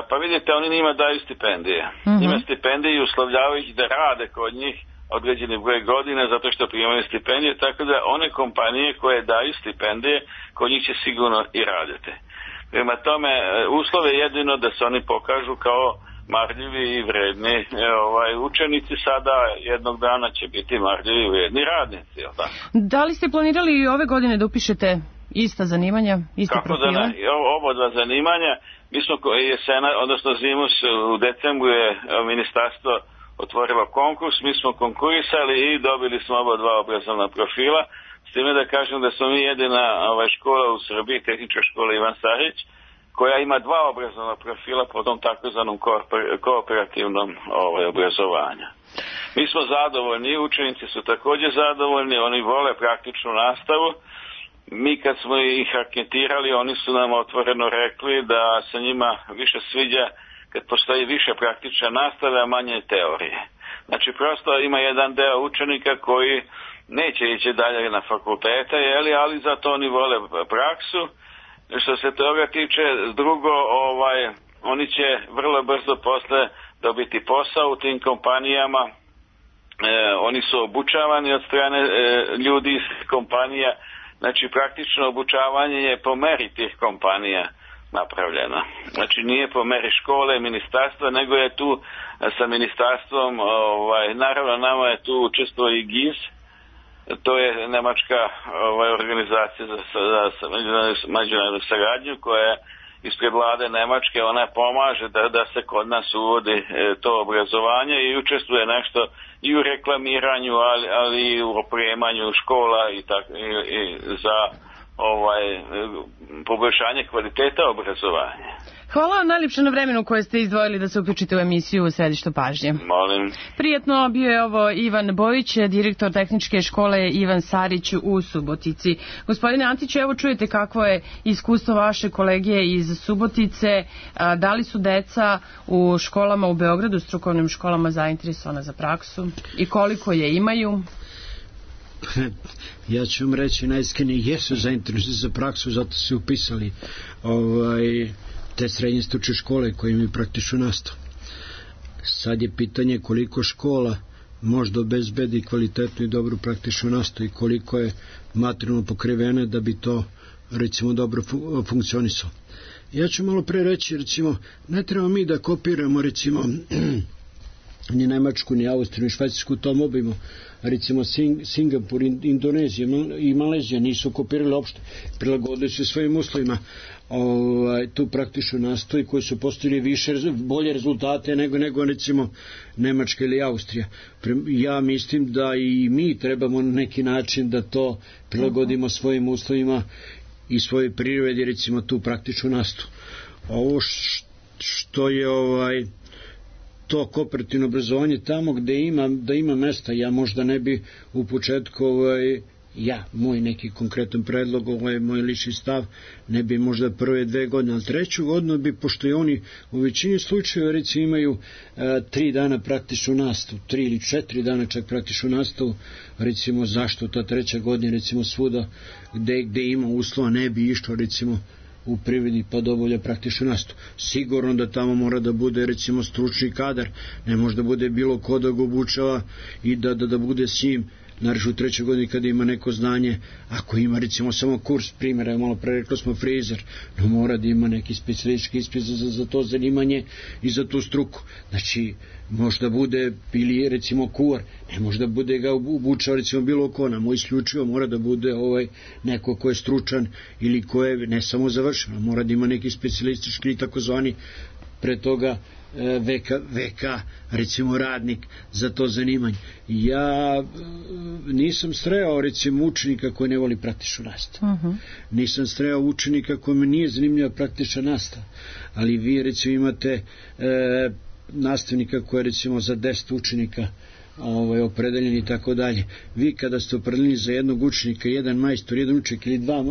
Pa vidite, oni njima daju stipendije. Njima stipendije i uslovljavaju ih da rade kod njih određeni broj godina zato što primaju stipendije, tako da one kompanije koje daju stipendije, kod njih će sigurno i raditi. Prema tome, uslov je jedino da se oni pokažu kao marljivi i vredni učenici, sada jednog dana će biti marljivi i vredni radnici. Da li ste planirali i ove godine da upišete ista zanimanja, iste profile? Kako da ne, oba dva zanimanja. Mi smo jesena, odnosno zimus, u decembru je ministarstvo otvorilo konkurs, mi smo konkurisali i dobili smo oba dva obrazovna profila, s time da kažem da smo mi jedina škola u Srbiji, tehnička škola Ivan Sarić, koja ima 2 obrazovna profila po tom takozvanom kooperativnom obrazovanju. Mi smo zadovoljni, učenici su također zadovoljni, oni vole praktičnu nastavu. mi kad smo ih anketirali, oni su nam otvoreno rekli da se njima više sviđa kad postoji više praktične nastave, a manje teorije. Znači, prosto ima jedan deo učenika koji neće ići dalje na fakultete, ali zato oni vole praksu. Što se toga tiče, drugo, oni će vrlo brzo posle dobiti posao u tim kompanijama. Oni su obučavani od strane ljudi iz kompanija. Znači, praktično obučavanje je po meri tih kompanija napravljeno. Znači, nije po meri škole, ministarstva, nego je tu sa ministarstvom, naravno nama je tu učestvovao i GIZ, to je nemačka organizacija za međunarodnu saradnju koja je ispred vlade Nemačke, ona pomaže da se kod nas uvodi to obrazovanje i učestvuje nešto i u reklamiranju, ali i u opremanju škola i za poboljšanje kvaliteta obrazovanja. Hvala vam najljepše na vremenu koje ste izdvojili da se uključite u emisiju u Središtu pažnje. Molim. Prijetno, bio je ovo Ivan Bojić, direktor tehničke škole Ivan Sarić u Subotici. Gospodine Antiću, evo čujete kakvo je iskustvo vaše kolege iz Subotice. Da li su deca u školama u Beogradu, strukovnim školama, zainteresovana za praksu i koliko je imaju? Ja ću vam reći najiskrenije, jesu zainteresovani za praksu, zato su upisali te srednje stručne škole koje imaju praktičnu nastavu. Sad je pitanje koliko škola možda obezbedi kvalitetnu i dobru praktičnu nastavu i koliko je materijalno pokrivene da bi to recimo dobro funkcionisalo. Ja ću malo pre reći, recimo, ne treba mi da kopiramo recimo ni Nemačku, ni Austriju, ni Švajcarsku u tom obimu. Recimo Singapur, Indonezija i Malezija nisu kopirali uopšte, prilagodili se svojim uslovima tu praktičnu nastavu koji su postavili bolje rezultate nego recimo Nemačka ili Austrija. Ja mislim da i mi trebamo na neki način da to prilagodimo svojim uslovima i svojoj prirodi, recimo tu praktičnu nastavu. Ovo što je to kooperativno obrazovanje tamo gde ima mesta, ja možda ne bi u početku moj neki konkretan predlog, moj lični stav, ne bi možda prve 2 godine, ali 3. godinu bi, pošto i oni u većini slučajeva recimo imaju 3 dana praktičnu nastavu, 3 ili 4 dana čak praktičnu nastavu, recimo zašto ta 3. godina recimo svuda gde ima uslova ne bi išlo recimo u privredi pa dovolja praktičnu nastavu. Sigurno da tamo mora da bude recimo stručni kadar, ne može da bude bilo ko da ga obučava i da bude s njim, naravno u 3. godini kada ima neko znanje, ako ima recimo samo kurs, primjera, malo pre rekli smo frizer, no mora da ima neki specijalistički ispit za to zanimanje i za tu struku. Znači, možda bude ili recimo kuvar, ne može da bude ga obučao recimo bilo ko, nam isključivo mora da bude neko ko je stručan ili ko je ne samo završeno, mora da ima neki specijalistički takozvani pre toga VK recimo radnik za to zanimanje. Ja nisam sreo recimo učenika koji ne voli praktičnu nastavu. Nisam sreo učenika kojima nije zanimljiva praktična nastava, ali vi recimo imate nastavnika koji je recimo za 10 učenika opredeljen i tako dalje. Vi kada ste opredeljeni za jednog učenika, jedan majstor, jedan učenik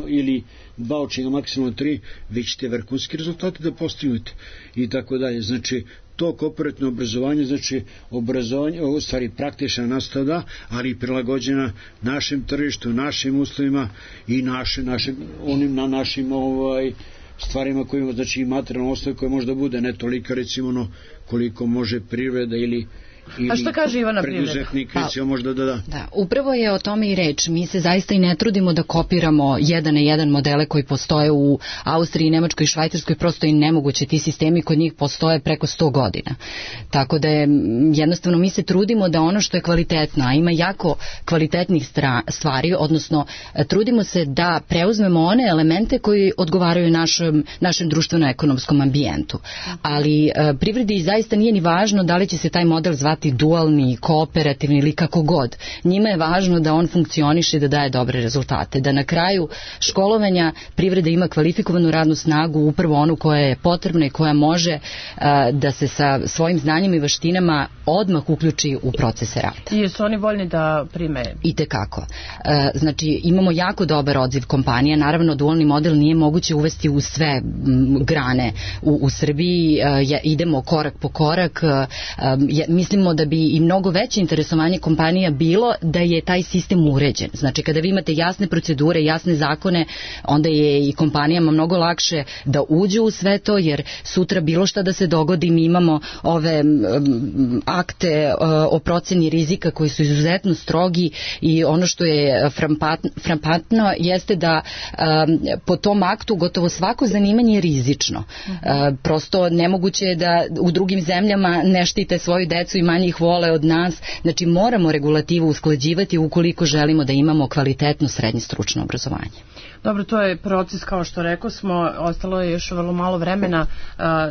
ili dva učenika, maksimalno 3, vi ćete vrhunski rezultate da postignete i tako dalje. Znači, to kooperativno obrazovanje, znači obrazovanje, u stvari praktična nastava, ali i prilagođena našem tržištu, našim uslovima i na našim stvarima koje imamo, znači i materijalno osnovu koje možda bude ne toliko recimo koliko može privreda ili a što kaže Ivana preduzetnik recimo možda da. Upravo je o tome i reč. Mi se zaista i ne trudimo da kopiramo jedan na jedan modele koji postoje u Austriji, Nemačkoj i Švajcarskoj, prosto i nemoguće. Ti sistemi kod njih postoje preko 100 godina. Tako da je jednostavno mi se trudimo da ono što je kvalitetno, a ima jako kvalitetnih stvari, odnosno trudimo se da preuzmemo one elemente koji odgovaraju našem društveno-ekonomskom ambijentu. Ali privredi zaista nije ni važno da li će se taj model zvati zvati dualni, kooperativni ili kako god. Njima je važno da on funkcioniše i da daje dobre rezultate. Da na kraju školovanja privreda ima kvalifikovanu radnu snagu, upravo onu koja je potrebna i koja može da se sa svojim znanjima i veštinama odmah uključi u procese rada. I jesu oni voljni da prime? Itekako. Znači, imamo jako dobar odziv kompanija. Naravno, dualni model nije moguće uvesti u sve grane u Srbiji. Idemo korak po korak. Mislimo da bi i mnogo veće interesovanje kompanija bilo da je taj sistem uređen. Znači, kada vi imate jasne procedure, jasne zakone, onda je i kompanijama mnogo lakše da uđu u sve to, jer sutra bilo šta da se dogodi, mi imamo ove akte o proceni rizika koji su izuzetno strogi i ono što je frampantno jeste da po tom aktu gotovo svako zanimanje je rizično. Prosto nemoguće je da u drugim zemljama ne štite svoju decu i manje ih vole od nas. Znači moramo regulativu usklađivati ukoliko želimo da imamo kvalitetno srednje stručno obrazovanje. Dobro, to je proces, kao što rekao smo, ostalo je još vrlo malo vremena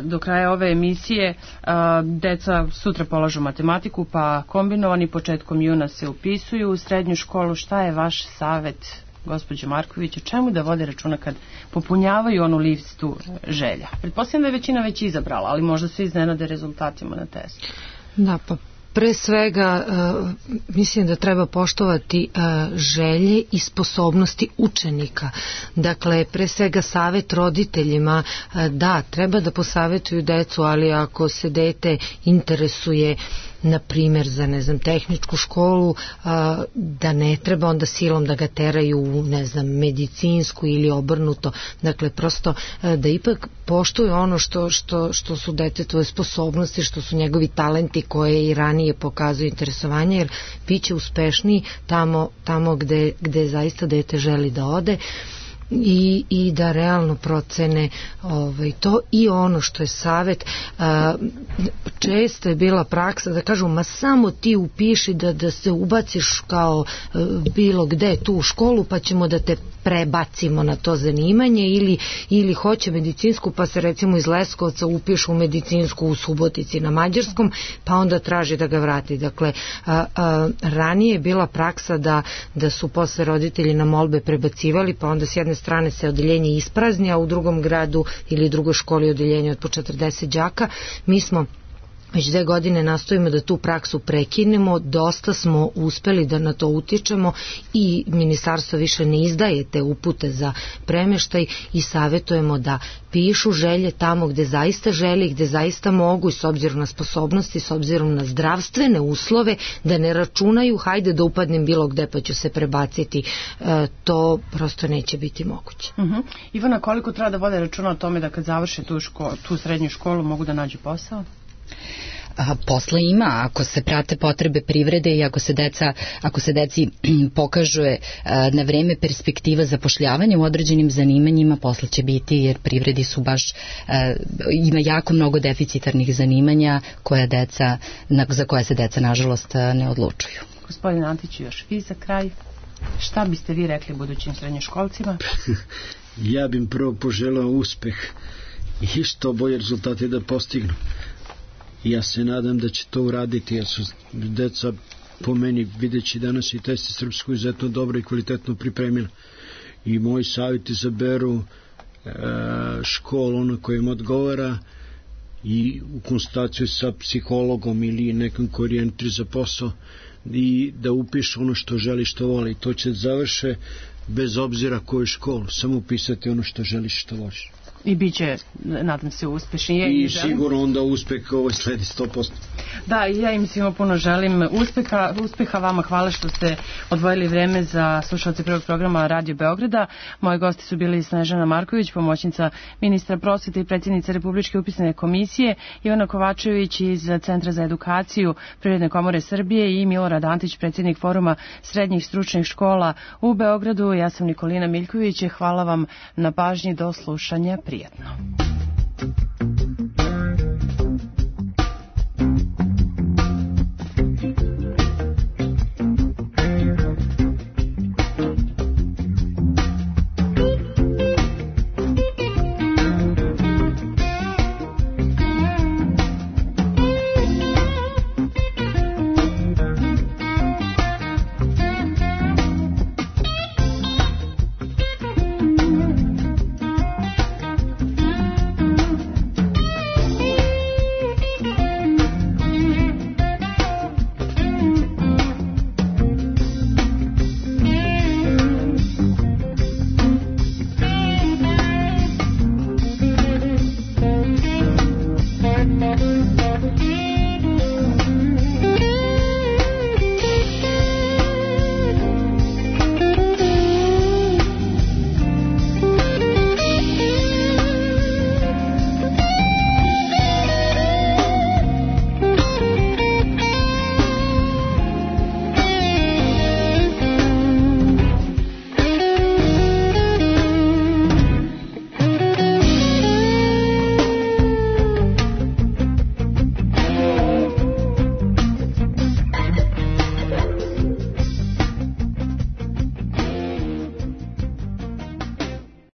do kraja ove emisije. Deca sutra polažu matematiku, pa kombinovani početkom juna se upisuju u srednju školu. Šta je vaš savet, gospođo Marković, o čemu da vode računa kad popunjavaju onu listu želja? Pretpostavljam da je većina već izabrala, ali možda se iznenade rezultatima na testu. Da, pa pre svega mislim da treba poštovati želje i sposobnosti učenika. Dakle, pre svega savet roditeljima, da, treba da posavetuju decu, ali ako se dete interesuje na primjer za, ne znam, tehničku školu, da ne treba onda silom da ga teraju u, ne znam, medicinsku ili obrnuto. Dakle, prosto da ipak poštuju ono što su detetove sposobnosti, što su njegovi talenti koje i ranije pokazuju interesovanje, jer bit će uspešniji tamo gde zaista dete želi da ode. I da realno procene to. I ono što je savet, često je bila praksa da kažu, ma samo ti upiši da se ubaciš kao bilo gde tu u školu, pa ćemo da te prebacimo na to zanimanje, ili hoće medicinsku, pa se recimo iz Leskovca upišu u medicinsku u Subotici na mađarskom, pa onda traži da ga vrati. Dakle, ranije je bila praksa da su posle roditelji na molbe prebacivali, pa onda s jedne strane se odeljenje isprazni, a u drugom gradu ili drugoj školi odeljenje od po 40 đaka. Mi smo već 2 godine nastojimo da tu praksu prekinemo, dosta smo uspeli da na to utičemo i ministarstvo više ne izdaje te upute za premeštaj i savjetujemo da pišu želje tamo gde zaista želi, gde zaista mogu, i s obzirom na sposobnosti, s obzirom na zdravstvene uslove, da ne računaju hajde da upadnem bilo gde pa ću se prebaciti. To prosto neće biti moguće. Ivana, koliko treba da vode računa o tome da kad završe tu srednju školu mogu da nađu posao? Posla ima, ako se prate potrebe privrede i ako se deci pokaže na vreme perspektiva zapošljavanja u određenim zanimanjima, posla će biti, jer privredi su baš, ima jako mnogo deficitarnih zanimanja za koja se deca nažalost ne odlučuju. Gospodin Antić, još vi za kraj, šta biste vi rekli budućim srednjoškolcima? Ja bih prvo poželao uspeh i što bolje rezultate da postignu. Ja se nadam da će to uraditi, jer su deca, po meni, videći danas i testi srpsku, izuzetno dobro i kvalitetno pripremila. I moj savjet izaberu školu na kojem odgovara i u konsultaciju sa psihologom ili nekom koji orijentira za posao, i da upiše ono što želi, što voli. To će završe bez obzira koju školu, samo upisati ono što želiš, što voliš. I bit će, nadam se, uspešni. I sigurno onda uspeh sledi 100%. Da, i ja im svima puno želim uspeha vama. Hvala što ste odvojili vreme za slušalce prvog programa Radio Beograda. Moji gosti su bili Snežana Marković, pomoćnica ministra prosvete i predsjednica Republičke upisne komisije, Ivana Kovačević iz Centra za edukaciju Privredne komore Srbije i Milorad Antić, predsjednik Foruma srednjih stručnih škola u Beogradu. Ja sam Nikolina Miljković. Hvala vam na pažnji, do slušanja. Prijetno.